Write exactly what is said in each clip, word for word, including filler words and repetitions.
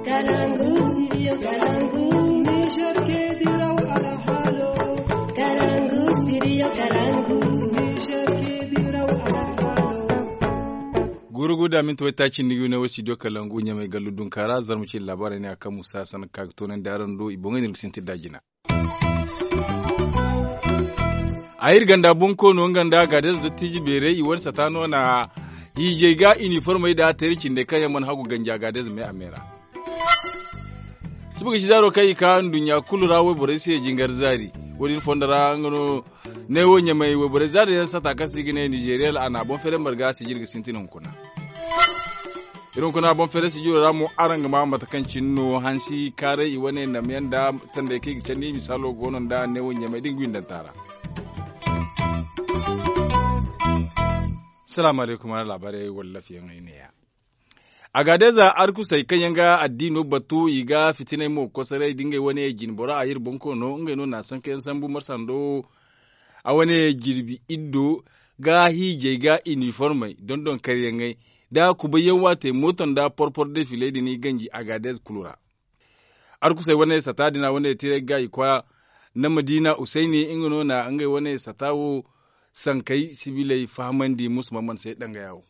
Kalangu, studio Kalangu. Niger ke diraw alhalo. Kalangu, studio Kalangu. Niger ke diraw alhalo. Gurugu da minti waytaaci nda yune wo studio Kalangu ɲamay gallu dunkaara zarma cine laabaarey ne a kaŋ musa sanka ga toonandi araŋ do i boŋey din ga sintin da jina. A iri ganda bonkoono nga nda gaadez dottiiji beerey i wane sata no na hiijay ga iniformey da teeri cindey kaŋ yaŋ mana hagu ganji a gaadez me a me ra. Suba ga ci zaaro kaŋ i ka nduɲɲa kulu ra wayborey se jingar zaari. Wo- din fondo ra nga no neewo ɲamay wayborey zaari yaŋ sata kaŋ se i ga ne nizeeriya a na a boŋ feeray marga sijir ga sintin hunkuna. Iri hunkuna boŋ feeray sijiro ra mo araŋ ga ma mate kaŋ cine no hansi kaaray i wane namyaŋ nda tandey kaŋ i ga candi misaalo go no nda neewo ɲamay da nga windanta ra. Salaamu alaykum ara laabaarey wala lafiyaŋey neeya. Agaadeza arkusey kaŋ yaŋ ga addiino batu i ga fitinay mo kosoray da ngey wane jinbora a iri bonkoono ngey no na sankayaŋ sambu marsa ndo a wane jirbi iddo ga hiijay ga iniformey dondon karyaŋey da kubayyaŋ waate mooto nda porpor defiley din i ganji agaadez kulu ra. Arkusey wane sata din a wane tiray ga i koya na madiina usayni nga no na ngey wane sata wo sankey sibiley fahamandi musu mamman se dangaya wo.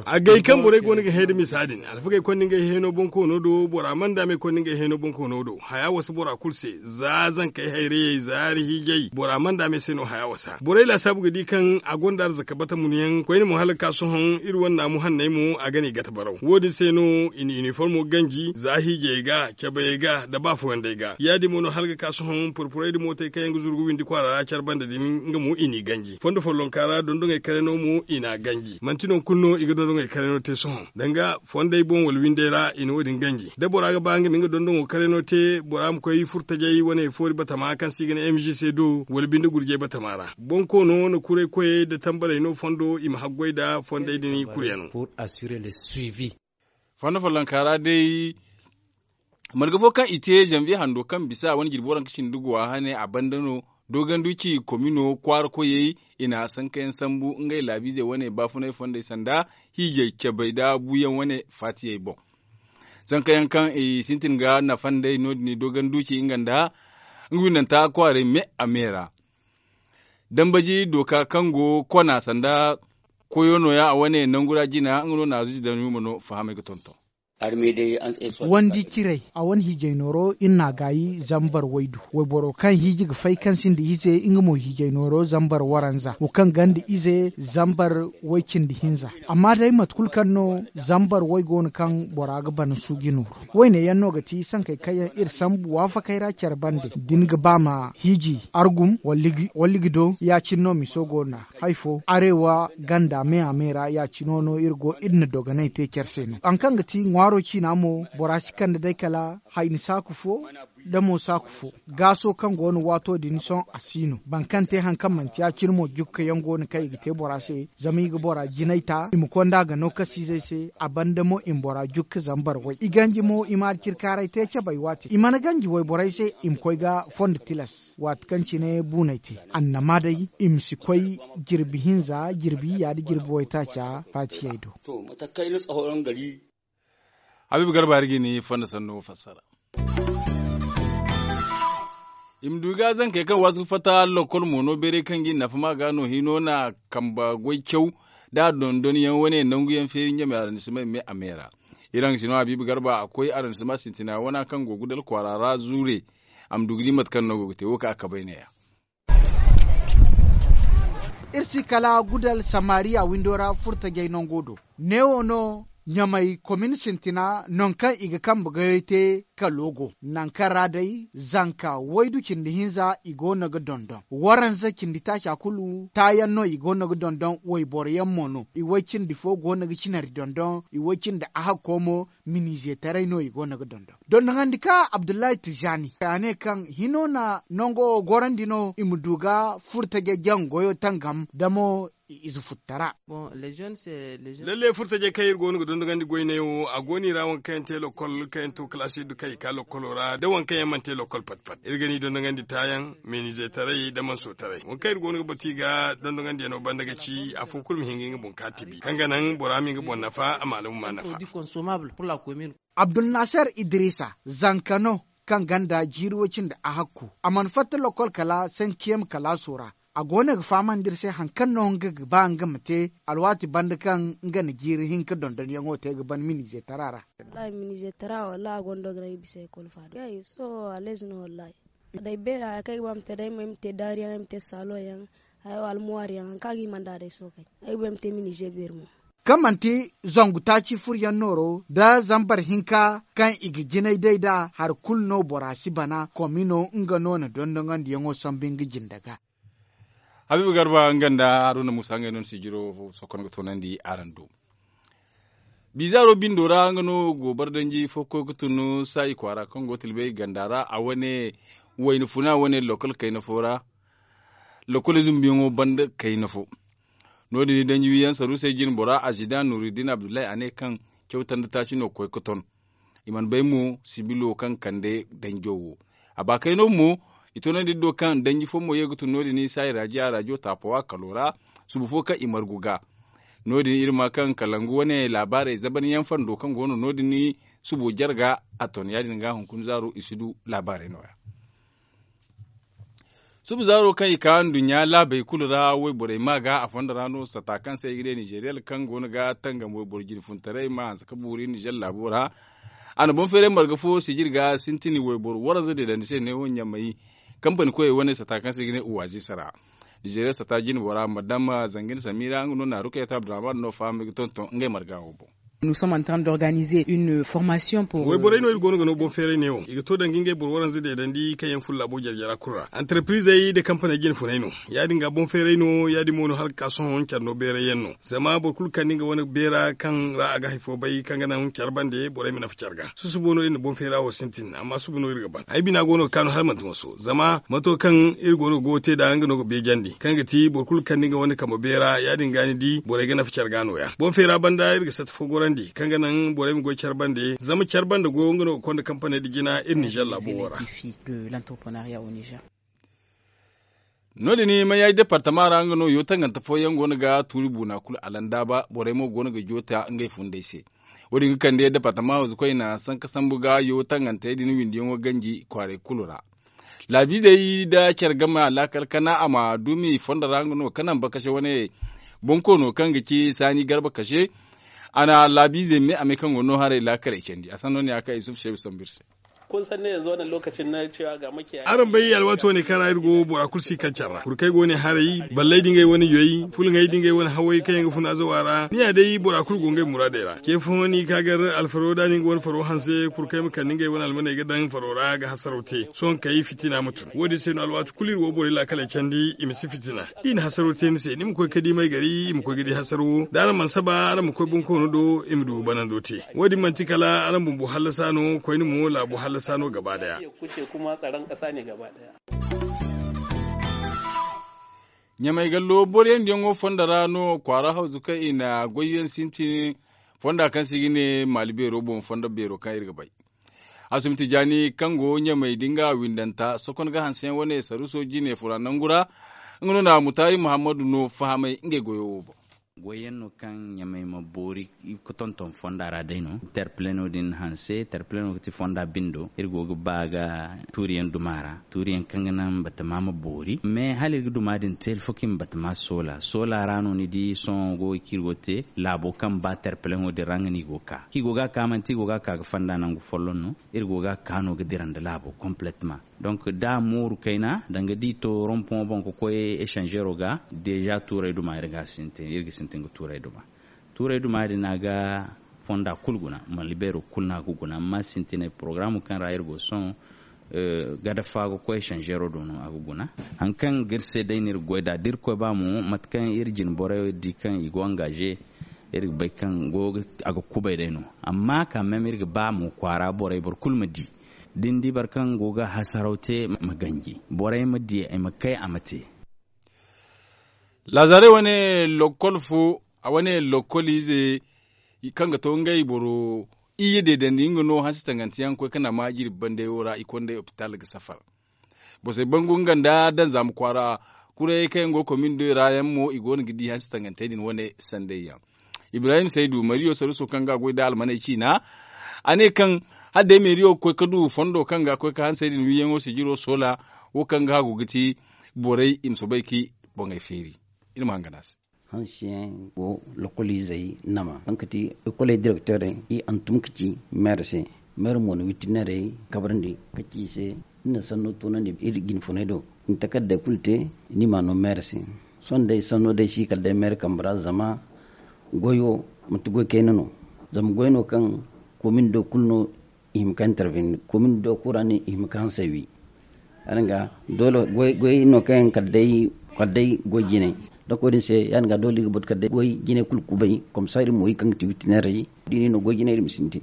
Agay kaŋ borey go no ga hẽe nda misa din alfagey konda ngey hẽeno bonkoono do bora mana daamey konda ngey hẽeno bonkoono do haya wasa bora kulu se za zankey hayrayey zaari hiijay bora mana daamey se no haya wasa borey laasaabu ga di kaŋ a gonda arzaka bata munyaŋ koyne mo hala ga ka sohõ iri wane naamu hanney mo a ga no i gata baraw wo- din se no i na iniformo ganji za hiijayey ga cabayey ga nda baafoyandey ga ya- din mo no hala ga ka sohõ purpurey nda mootey kaŋ yaŋ ga zuru ga windi kwaara ra care banda din nga mo i n'i ganji fondo follonka ra dondoŋey karayno mo i n'a ganji manti non kulu no i ga dondoŋey karayno te sohõ danga fondey boŋ wala windey ra i na wo- din ganji da bora ga ba nga ma nga dondoŋo karayno te bora ma koy furtajey wane foori batama kaŋ se i ga ne m g c do wala binde gurjey batama ra bonkoono na kuray koyey nda tambarey no fondo i ma haggoy nda fondey din kulu yaŋ. Fondo follonka ra day marga fo kaŋ i te zanviye hando kaŋ bisa a wane jirbi waranka cindi guwa hane a banda no doganduci komino kwaara koyey i na sankayaŋ sambu ngey laabiizey wane baafunay fondey sanda hiijay cabay nda buuyaŋ wane faatiyey boŋ. Sankayaŋ kaŋ i sintin ga nafa nd'ey no- din doganduci nga nda nga windanta kwaarey me a me ra dambaji dooka kaŋ go kona sanda koyo nooya a wane nangu ra jina nga no na zuji daŋ yuma no fahamey ga tonton. Wandi ciray a wane hiijay nooro iri n'a gaayi zambar waydu wayboro kaŋ hiiji ga fay kaŋ sinda ize nga mo hiijay nooro zambar waranza wo kaŋ ganda ize zambar way cindi hinza. Amma day mate kulu kaŋ no zambar way go no kaŋ bora ga bana suuji nooru wayne yaŋ no ga ti sankey kaŋ yaŋ iri sambu waafakey ra care bande da ni ga ba ma hiiji argum walla ga do ya- cine no miso go nd'a. Hay fo arewa ganda me a me ra ya- cino no iri go iri na dogonay te care se no haŋ kaŋ ga ti ŋwaaro ciina mo bora si kande day kala hayni saaku fo da mo saaku fo gaaso kaŋ go no waato din sohõ a si no boro kaŋ te haŋ kaŋ manti ya- cine mo jukka yaŋ go no kaŋ i ga te bora se zama i ga bora jinay ta i ma konda ga no kasiizey se a banda mo i ma bora jukka zambar way i ganji mo i ma alcirkaaray te cabay waate i mana ganji wayborey se i ma koy ga fondo tilas waati kaŋ cine buunay te annama day i ma si koy jirbi hinza jirbi yiyya nda jirbi waytaaca faatiyey do. Habiibu garba hari ga ni fonda sanno fassara. I ma du ga zankey kaŋ waasu ga fatta lokol mo no beeray kaŋ ga i nafa ma ga no hino na kamba goy caw da dondon yaŋ wane nangu yaŋ feeri ɲamay arandisimay me a me ra. Iri haŋ ga si no habiibu garba a koy araŋ si ma sintina wana kaŋ go ga dala kwaara ra zuure. A ma du ga di mate kaŋ no go ga te wo kaŋ a kabay neeya. Iri si kala gudal samariya windo ra furtajey nango do. Neewo no ɲamay komin sintina nangu kaŋ i ga kambe goyey te kalo go nangu kaŋ ra day zanka waydu cindi hinza i go no ga dondon waranza cindi taaca kulu taayaŋ no i go no ga dondon wayboro yaŋ mo no i way cindi fo go no ga cinari dondon i way cindi ahakko mo. Minize taray no i go no ga dondon dondoŋandi ka abdullahi tijani a ne kaŋ hino na nango wo gorandi no i ma du ga furtaje jaŋ goyo tangam damo. ize futtara. Lalle furtajey kaŋ iri go no ga dondogandi goyney wo a go no i ra waŋ kaŋ yaŋ te lokol kaŋ yaŋ to kalaasi iddu kaŋ i ka lokolo ra da waŋ kaŋ yaŋ mana te lokol pat pat iri ga ni dondogandi taayaŋ, meeniizetaray da mansotaray waŋ kaŋ iri go no ga batu i ga dondogandiyano banda ga ci afo kulu ma hin ga nga boŋ ka tibi kaŋ ga naŋ bora ma nga boŋ nafa a ma alumma nafa. Abdulnaser idrisa zanka no kaŋ ganda jiiri way cindi a hakku a mana fatta lokol kala sentiyem kalaaso ra. A go no ga fahamandi iri se hari kaŋ no nga ga ba nga ma te alwaati banda kaŋ nga na jiiri hinka dondonyaŋo te ga ban miniize tara ra. Miniize tara wallahi a gonda ga no ay bisa ekol faado ya i sohõ aleez no wallahi. Day beera hari kaŋ ay ga ba ma te day ay ma te daariyaŋ ay ma te saalonyaŋ, hayo almuwaariyaŋ hari kaŋ a ga hima nd'a day sohõ kay ay ga ba ay ma te miniize beeri mo. Kaŋ manti zangu taaci furyaŋ nooro nda zambar hinka kaŋ i ga jinay day nd'a hari kulu no bora si bana komino nga no na dondongandiyaŋo sambu nga jinde ga. Habiiba garba nga nda haruna muusa ngey no ni sijiro sohõ kaŋ ga toonandi araŋ do. Bizaaro bindo ra nga no go bardanji fo ga koy ga tun saayi kwaara kaŋ go tilbay ganda ra a wane wayna funa wane lokol kayna fo ra. Lokol zumbuyaŋo banda kayna fo. No- din i danji wiyaŋ saruusey jine bora azida nuruddin abdullahi a ne kaŋ cawtandi taaci no ga koy ga ton. I mana bay mo sibilo kaŋ kande danjo wo. A ba kayno mo i toonandi iri do kaŋ danji fo mo ye ga tun no- din i saayi raajiya raajo taapowa kalo ra. Subu fo kaŋ i margu ga no- din iri ma kaŋ kalangu wane laabaarey zabanyaŋ fando kaŋ go no no- din subo jarga a ton ya- din ga hunkuna zaaro i si du laabaarey nooya. Suba zaaro kaŋ i ka nduɲɲa laabey kulu ra wayborey ma ga a fondo ra no sata kaŋ se i ga ne nizeeriyel kaŋ go no ga tangam wayboro jinfuntaray ma hanse ka buuri nizeer laabo ra. A na boŋ feeray marga fo sijir ga sintin wayboro waranza deedandi se neewo ɲamay kampani koyey wane sata kaŋ se i ga ne uwaazisa ra. Nizeeriya sata jinbo ra madama zangin samira nga no na rukayat abdurrahman no fahamay ga tonton ngey marga wo boŋ. Nous sommes en train d'organiser une formation pour wayborey no iri go no ga no boŋ feeray neewo i ga to danga ngey boro waranza deedandi kaŋ yaŋ furo laabo jare jara kulu ra antarprizey nda kampaney jine funay no. Ya- din ga boŋ feeray no ya- din mo no hala ga ka sohõ care no beeray yaŋ no zama boro kulu kande nga wane beera kaŋ ra a ga hari fo bay kaŋ ga naŋ care bande borey ma nafa care ga susubo no iri na boŋ feera wo sintin amma suba no iri ga ban ay bina go no ga kaanu hala manti maso zama mato kaŋ iri go no ga goyo te nd'a nga no ga beejandi kaŋ ga ti boro kulu kande nga wane kambe beera ya- din ga ni di borey ga nafa care ga nooya boŋ feera banda iri ga sata fo gorandi kaŋ ga naŋ borey ma goy care bande zama care banda goyo nga no ga konda kampaney nda jina iri nizeer laabo wo ra. No- din mayaaji departama ra nga no yo tangante fooyaŋ go no ga tuuri buuna kulu alandaaba borey mo go no ga joota ngey fundey se. Wo- din ga kande departama hawzu koyna sanka sambu ga yo tangantey din windiyaŋo ganji kwaarey kulu ra. Laabiizey nda care game a laakal kana a ma dumi fondo ra nga no ka naŋ bakase wane bonkoono kaŋ ga ci saani garba kase. A na laabiizey me a me kaŋ go no haray laakaley candi a sanno ne ya kaŋ isufu seebu sambu iri se. Araŋ bay alwaati wane kaŋ ra iri go bora kulu si kaŋ care ra kurkey go ne haray balley da ngey wane yoy fulŋey da ngey wane hawey kaŋ yaŋ ga fun azawa ra ni ya day bora kulu go ngey muraadey ra ce fo ni ka gar alfaro da ni nga wane faro hanse kurkey ma kande ngey wane almaney ga daŋ faro ra ga hasaraw te sohõ kay fitina ma tun wo- din se no alwaati kulu iri wo borey laakaley candi i ma si fitina da i na hasaraw te ni se ni ma koy ga di may gari i ma koy ga di hasarawo da araŋ mana saba araŋ ma koy bonkoono do i ma du banando te. Wo- din manti kala araŋ bumbo hallasa no koyne mo laabo hallasa no gaba daya. Ɲamay gallo boroyaŋ diyaŋo fondo ra no kwaara hawzu kaŋ i na goyyaŋ sintin fonda kaŋ se i ga ne maali beero boŋ fondo beero kaŋ iri ga bay. Asumti jaani kaŋ go ɲamay da nga windanta sokon ga hanseyaŋ wane saruuso jine fura nangu ra. Nga no na mutaari muhammadu no fahamay ngey goyo wo boŋ. Goyyaŋ no kaŋ ɲamay ma boori ga tonton fonda ra day no terpeleno din hanse terpeleno ga ti fonda bindo iri go ga ba ga tuuriyaŋ duma ra tuuriyaŋ kaŋ ga naŋ batama ma boori mais hala iri ga duma din te hala fo kaŋ i ma batama soola soola ra no ni di sohõ go ga kaŋ iri go ga te laabo kaŋ ba terpeleno din ra nga no i go ga ka kaŋ i go ga ka manti i go ga ka ga fonda nangu folloŋ no. Iri go ga ka no ga dira nda laabo complètement. Donc da mooru kayna danga da i to rompoŋo boŋ ga koy echangeero ga deja tuuray duma iri ga sintin iri ga sintin ga tuuray duma. Tuuray duma din a ga fonda kulu guna malibeero kulu no a ga guna amma sintinay porogaraamo kaŋ ra iri go sohõ gada fa ga koy echangeero do no a ga guna. Hari kaŋ ga iri se day no iri ga goy nd'a da iri koy ba mo mate kaŋ iri jine borey di kaŋ i go engage iri ga bay kaŋ go a ga kubay day no. Amma quand même iri ga ba mo kwaara borey boro kulu ma di da ni di boro kaŋ go ga hasaraw te ma ganji borey ma di i ma kay a ma te. Laazare wane lokkol fo a wane lokkol ize kaŋ ga to ngey boro iyye deedandi nga no hansi tangante yaŋ ga koy ga nama jirbi bandey wo ra i konda opitaal ga safar. Borosey bangu nga nda danzaama kwaara kurayey kaŋ yaŋ go komin doy ra yaŋ mo i go no ga di hansi tangantey din wane sanday yaŋ. Ibrahim saydu mariyo saruso kaŋ ga a goy nda almaney ciina a ne kaŋ hala day meeriyo ga koy ga du fondo kaŋ ga a koy ga hansey din wiiyaŋo sijiro soola wo kaŋ ga hagu ga ti borey i ma soobay ga i boŋey feeri. Iri ma hangan a se. Hansiyaŋ go lokoliizey nama kaŋ ga ti ekoley direkteerey i hantum ga ci meer se. Meer mo na wittinarey kabrandi ga ci i se. Ni na sanno toonandi iri jinfuney do ni takardey kulu te. Ni ma no meer se. Sohõ day sanno day si kala day meer kambe ra zama goy wo manti goy kayna no. Zama goy no kaŋ komin do kulu no i hima ka interveni komin do kulu ra no i hima ka hansey wi. Ya- din ga doole goy no kaŋ yaŋ kala day goy jinay. Dako din se ya- din ga doole iri ga batu kala day goy jinay kulu kubay komsa iri ma wi kaŋ ga ti witineerey da i ne no goy jinay iri ma sintin.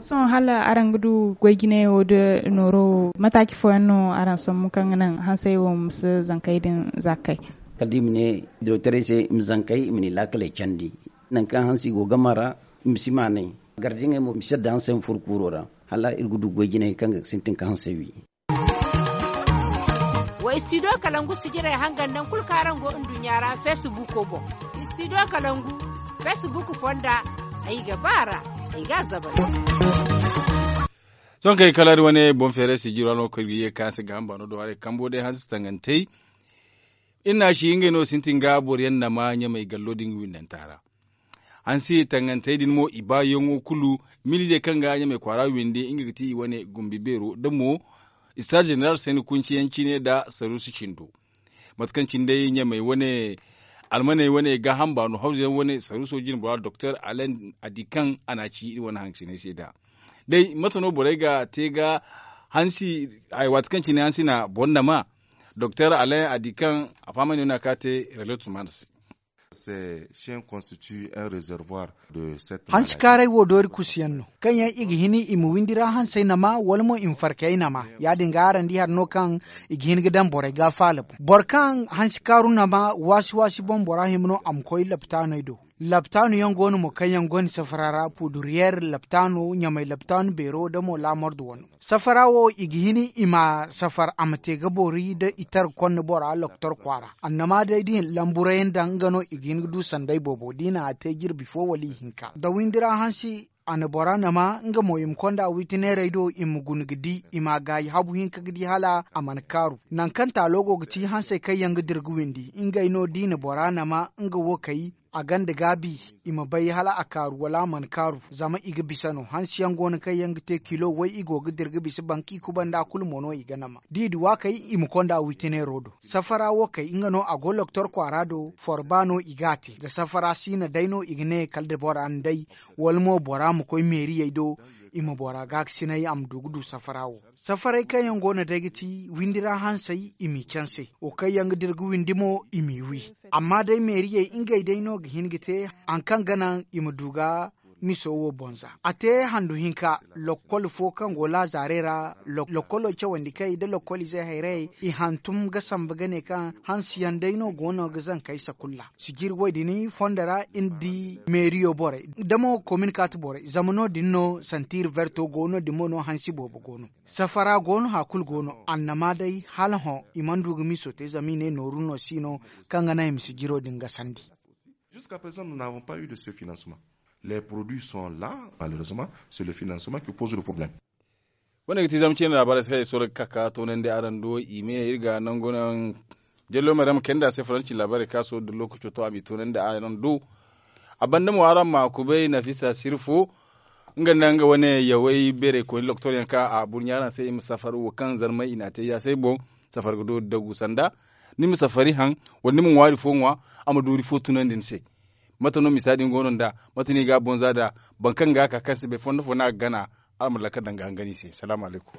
Sohõ hala araŋ ga du goy jinay wo nda nooro wo mataaci fooyaŋ no araŋ sambu kaŋ ga naŋ hansey wo ma si zankey din zaakay? Kala da i ma ne direkteerey se i ma zankey i ma ne i laakaley candi. Nangu kaŋ hansi go gama ra i ma si maanay. Gardiyaŋey mo i ma si yadda hansey ma furo kuuro ra hala iri ga du goy jinay kaŋ ga sintin ga hansey wi. Wa istidiyo kalangu sijirey hangan nangu kulu kaŋ araŋ go nduɲɲa ra feesibuuko boŋ. Istidiyo kalangu feesibuuk fonda ay ga ba a ra. Ay ga a zabay. Sohõ kay kala iri wane boŋ feeray sijiro no kaŋ iri ga ye ga ka se ga hamba no do haray kambo day hansi tangantey. Iri na a ci ngey no sintin ga boro yaŋ nama ɲamay gallo din ga windanta ra. Hansi tangantey din mo i baayaŋo kulu miliizey kaŋ ga ɲamay kwaara windi nga ga ti i wane gumbi beero da mo istaaz jeneral sayni kunci yaŋ cine nda saruusu cindo. Mate kaŋ cine day ɲamay wane almaney wane gaaham baano hawzu yaŋ wane saruuso jinbora doktor alen a di kaŋ a na a ci iri wane hanciney se nd'a. Day mate no borey ga te ga hansi waati kaŋ cine hansi na boro nama doktor alen a di kaŋ a fahamandi no a ka te relais tumana se. Hansi kaaray wo doori kusu yaŋ no kaŋ yaŋ i ga hin i ma windi ra hansey nama wala mo i ma farkayey nama. Ya- din ga araŋ di hari no kaŋ i ga hin ga daŋ borey ga faala boŋ boro kaŋ hansi kaaru nama waasi waasi boŋ bora hima no a ma koy laptaaney do. Laptaanu yaŋ go no mo kaŋ yaŋ gonda safara ra puduriyeer laptaanu ɲamay laptaanu beero da mo laamordu wano. Safara wo i ga hin i ma safar a ma te ga boori da i tara konda bora loktor kwaara annama day da i na lamburay yaŋ daŋ nga no i ga hin ga du sanday boobo da i na a te jirbi fo wala ihinka da windi ra hansi. A na bora nama nga mo i ma konda witineerey do i ma guna ga di i ma a gaayi habu hinka ga di hala a mana kaaru. Nangu kaŋ taalo go ga ti hansey kaŋ yaŋ ga dira ga windi ngey no da i na bora nama nga wo kay a gonda gaabi i ma bay hala a kaaru wala a mana kaaru. Zama i ga bisa no hansi yaŋ go no kaŋ yaŋ ga te kilo way i go ga dira ga bisa banka i kubanda kulu mo no i ga nama da i di waakey i ma konda witineero do. Safara wo kay nga no a go loktor kwaara do forba no i ga a te da safara siina day no i ga ne kala da bora na day wala mo bora ma koy meeriyey do i ma bora gaakasinay a ma du ga du safara wo. Safaray kaŋ yaŋ go no day ga ti windi ra hansey i m'i canse wo kaŋ yaŋ ga dira ga windi mo i m'i wi. Amma day meeriyey ngey day no ga hin ga te hari kaŋ ga naŋ i ma du ga miso wo boŋ za a te handu hinka. Lokkol fo kaŋ go laazaarey ra lokkolo cawandi kay nda lokkol izey hayrayey i hantum ga sambu ga ne kaŋ hansi yaŋ day no go no ga zankey sakulla sijiri wo- din fondo ra iri di meeriyo borey da mo komin kaati borey zama no- din no santiiri verto go no- din mo no hansi boobo go no. Safara go no hari kulu go no annama day hala hõ i mana du ga miiso te zama i ne nooru no si no kaŋ ga naŋ i ma sijiro din gasandi. Jusqu'à présent nous n'avons pas eu de ce financement. Les produits sont là. Malheureusement c'est le financement qui pose le problème. Wane ga ti zama cine laabaarey se kaŋ ay soro ga ka ka toonandi araŋ do i me iri ga nangu naŋ jallo maryam kayndi a se faransi laabaarey kaŋ a soro da lookaco to a m'i toonandi araŋ do. A banda mo araŋ ma a kubay nafisa siri fo nga nda nga wane yawey beerey koyne loktor yaŋ kaŋ a burɲa araŋ se i ma safari wo kaŋ zarmay i n'a te yaasay boŋ. Safari ga doori dagu sanda ni ma safari haŋ wala ni ma ŋwaari fo ŋwa a ma doori fo tunandi ni se. Mate no misa din go no nd'a? Mate no i ga a boŋ za nd'a? Boro kaŋ ga a ka kaŋ si bay fondo fo no a ga gana. Araŋ ma lakkal daŋ ga hangan i se salaamu alaykum.